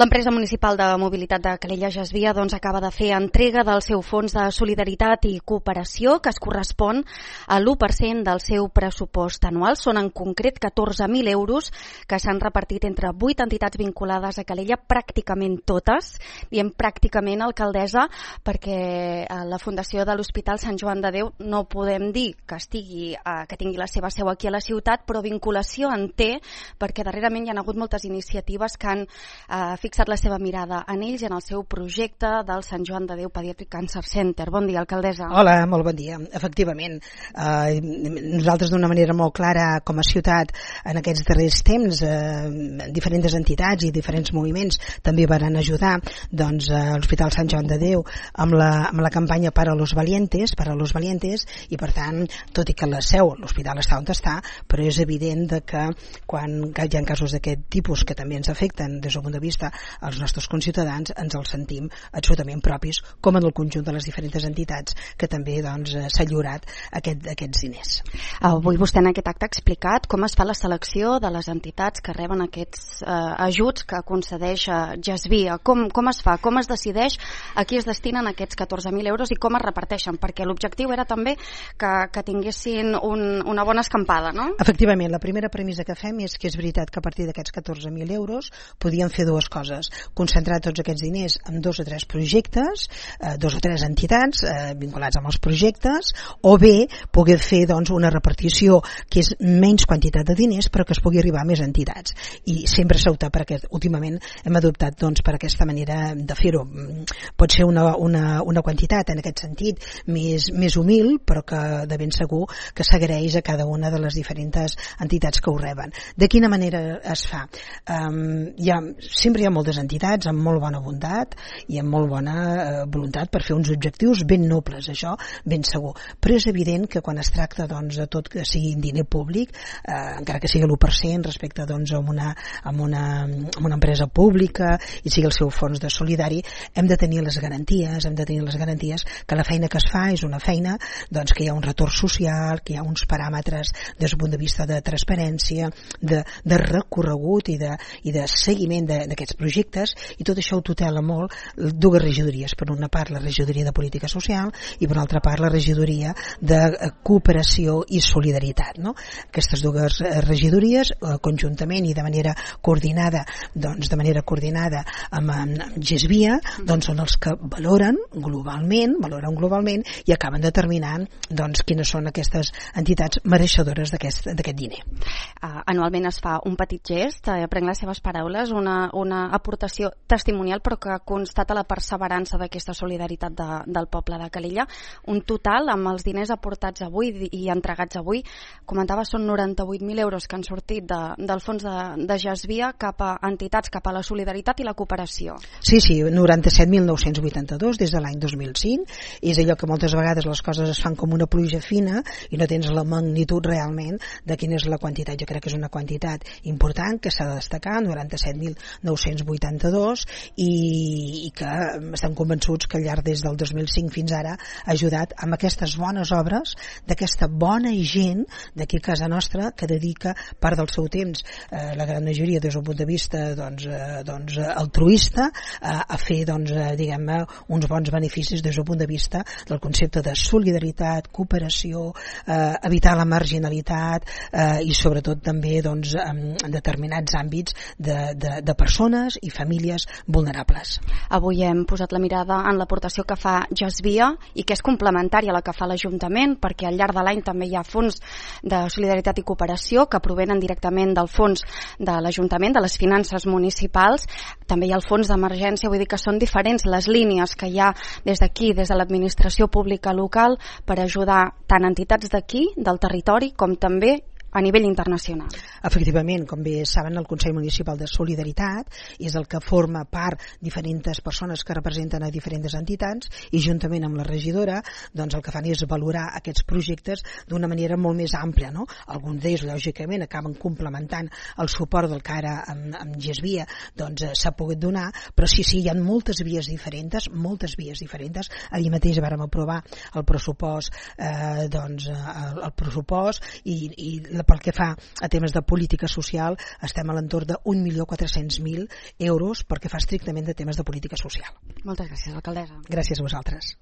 L'empresa municipal de mobilitat de Calella Gesvia acaba de fer entrega del seu fons de solidaritat i cooperació, que es correspon a l'1% del seu pressupost anual. Són en concret 14.000 euros que s'han repartit entre 8 entitats vinculades a Calella, pràcticament totes. Diem pràcticament, alcaldessa, perquè la Fundació de l'Hospital Sant Joan de Déu no podem dir que tingui la seva seu aquí a la ciutat, però vinculació en té, perquè darrerament hi ha hagut moltes iniciatives que han fixat la seva mirada en ells i en el seu projecte del Sant Joan de Déu Pediatric Cancer Center. Bon dia, alcaldessa. Hola, molt bon dia. Efectivament, nosaltres d'una manera molt clara com a ciutat en aquests darrers temps, diferents entitats i diferents moviments també van ajudar a l'Hospital Sant Joan de Déu amb la campanya Para los Valientes, i per tant, tot i que la seu, l'hospital està on està, però és evident que quan hi ha casos d'aquest tipus que també ens afecten des del punt de vista als nostres conciutadans, ens els sentim absolutament propis, com en el conjunt de les diferents entitats que també s'ha lliurat aquests diners. Avui vostè en aquest acte ha explicat com es fa la selecció de les entitats que reben aquests ajuts que concedeix Gesvia. Com es fa? Com es decideix a qui es destinen aquests 14.000 euros i com es reparteixen? Perquè l'objectiu era també que tinguessin una bona escampada, no? Efectivament, la primera premissa que fem és que és veritat que a partir d'aquests 14.000 euros podíem fer dues coses: concentrar tots aquests diners en 2 o 3 projectes, 2 o 3 entitats vinculats amb els projectes, o bé poder fer una repartició que és menys quantitat de diners però que es pugui arribar a més entitats, i sempre s'ha optat per aquest. Últimament hem adoptat per aquesta manera de fer-ho. Pot ser una quantitat en aquest sentit més humil, però que de ben segur que s'agraeix a cada una de les diferents entitats que ho reben. De quina manera es fa? Sempre hi ha moltes entitats amb molt bona bondat i amb molt bona voluntat per fer uns objectius ben nobles, això ben segur, però és evident que quan es tracta de tot que sigui diner públic, encara que sigui l'1% respecte a una empresa pública i sigui el seu fons de solidari, hem de tenir les garanties que la feina que es fa és una feina que hi ha un retorn social, que hi ha uns paràmetres des del punt de vista de transparència, de recorregut i de seguiment d'aquests projectes, i tot això ho tutela molt dues regidories. Per una part, la regidoria de política social, i per una altra part, la regidoria de cooperació i solidaritat, no? Aquestes dues regidories, conjuntament i de manera coordinada amb Gesvia, són els que valoren globalment i acaben determinant quines són aquestes entitats mereixedores d'aquest diner. Anualment es fa un petit gest, prenc les seves paraules, una aportació testimonial, però que constata la perseverança d'aquesta solidaritat del poble de Calella. Un total, amb els diners aportats avui i entregats avui, comentava, són 98.000 euros que han sortit del fons de Gesvia cap a entitats, cap a la solidaritat i la cooperació. Sí, 97.982 des de l'any 2005. És allò que moltes vegades les coses es fan com una pluja fina i no tens la magnitud realment de quina és la quantitat. Jo crec que és una quantitat important que s'ha de destacar, 97.982, i que estem convençuts que al llarg des del 2005 fins ara ha ajudat amb aquestes bones obres d'aquesta bona gent d'aquí a casa nostra que dedica part del seu temps, la gran majoria des del punt de vista altruista, a fer diguem-ne uns bons beneficis des del punt de vista del concepte de solidaritat, cooperació, evitar la marginalitat i sobretot també en determinats àmbits de persones i famílies vulnerables. Avui hem posat la mirada en l'aportació que fa Gesvia i que és complementària a la que fa l'Ajuntament, perquè al llarg de l'any també hi ha fons de solidaritat i cooperació que provenen directament del fons de l'Ajuntament, de les finances municipals. També hi ha el fons d'emergència, vull dir que són diferents les línies que hi ha des d'aquí, des de l'administració pública local, per ajudar tant entitats d'aquí, del territori, com també a nivell internacional. Efectivament, com bé saben, el Consell Municipal de Solidaritat és el que forma part diferents persones que representen a diferents entitats, i juntament amb la regidora el que fan és valorar aquests projectes d'una manera molt més àmplia, no? Alguns d'ells, lògicament, acaben complementant el suport del que ara amb Gesvia s'ha pogut donar, però sí, hi ha moltes vies diferents. Ahir mateix vàrem aprovar el pressupost i pel que fa a temes de política social, estem a l'entorn de 1.400.000 euros perquè fa estrictament de temes de política social. Moltes gràcies, alcaldessa. Gràcies a vosaltres.